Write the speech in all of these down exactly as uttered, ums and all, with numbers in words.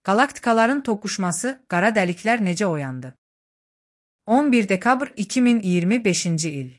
Qalaktikaların toqquşması, qara dəliklər necə oyandı? on bir dekabr iki min iyirmi beşinci il.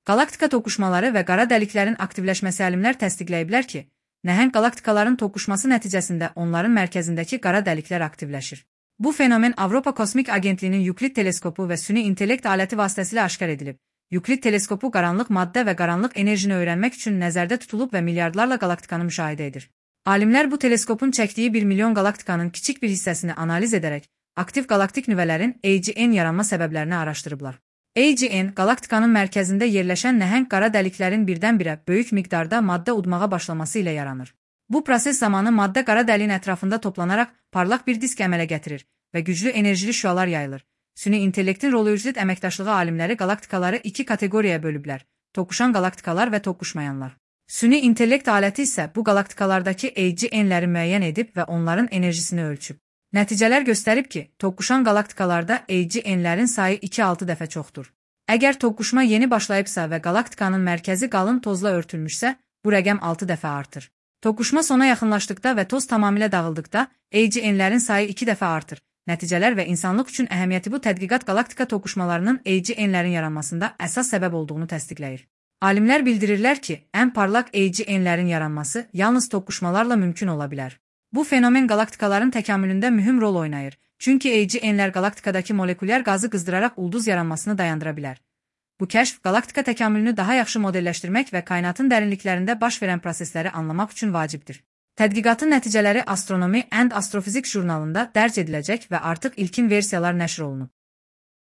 Qalaktika toqquşmaları və qara dəliklərin aktivləşməsi alimlər təsdiqləyiblər ki, nəhəng qalaktikaların toqquşması nəticəsində onların mərkəzindəki qara dəliklər aktivləşir. Bu fenomen Avropa Kosmik Agentliyinin Yuklid teleskopu və süni intellekt aləti vasitəsilə aşkar edilib. Yuklid teleskopu qaranlıq maddə və qaranlıq enerjini öyrənmək üçün nəzərdə tutulub və milyardlarla qalaktikanı müşahidə edir. Alimlər bu teleskopun çəkdiyi bir milyon qalaktikanın kiçik bir hissəsini analiz edərək, aktiv qalaktik nüvələrin A G N yaranma səbəblərini araşdırıblar. A G N, qalaktikanın mərkəzində yerləşən nəhəng qara dəliklərin birdən-birə böyük miqdarda maddə udmağa başlaması ilə yaranır. Bu proses zamanı maddə qara dəliyin ətrafında toplanaraq parlaq bir disk əmələ gətirir və güclü enerjili şüalar yayılır. Süni intellektin rolojit əməkdaşlığı alimləri qalaktikaları iki kateqoriyaya bölüblər: toqquşan qalaktikalar və toqquşmayanlar. Süni intellekt aləti isə bu qalaktikalardakı A G N'ləri müəyyən edib və onların enerjisini ölçüb. Nəticələr göstərib ki, toqquşan qalaktikalarda A G N'lərin sayı iki altı dəfə çoxdur. Əgər toqquşma yeni başlayıbsa və qalaktikanın mərkəzi qalın tozla örtülmüşsə, bu rəqəm altı dəfə artır. Toqquşma sona yaxınlaşdıqda və toz tamamilə dağıldıqda A G N'lərin sayı iki dəfə artır. Nəticələr və insanlıq üçün əhəmiyyəti bu tədqiqat qalaktika toqquşmalarının A G N'lərin yaranmasında əsas səbəb olduğunu təsdiqləyir. Alimlər bildirirlər ki, ən parlaq A G N'lərin yaranması yalnız toqquşmalarla mümkün ola bilər. Bu fenomen qalaktikaların təkamülündə mühüm rol oynayır, çünki A G N'lər qalaktikadakı molekulyar qazı qızdıraraq ulduz yaranmasını dayandıra bilər. Bu kəşf qalaktika təkamülünü daha yaxşı modelləşdirmək və kainatın dərinliklərində baş verən prosesləri anlamaq üçün vacibdir. Tədqiqatın nəticələri Astronomy and Astrophysics jurnalında dərc ediləcək və artıq ilkin versiyalar nəşr olunub.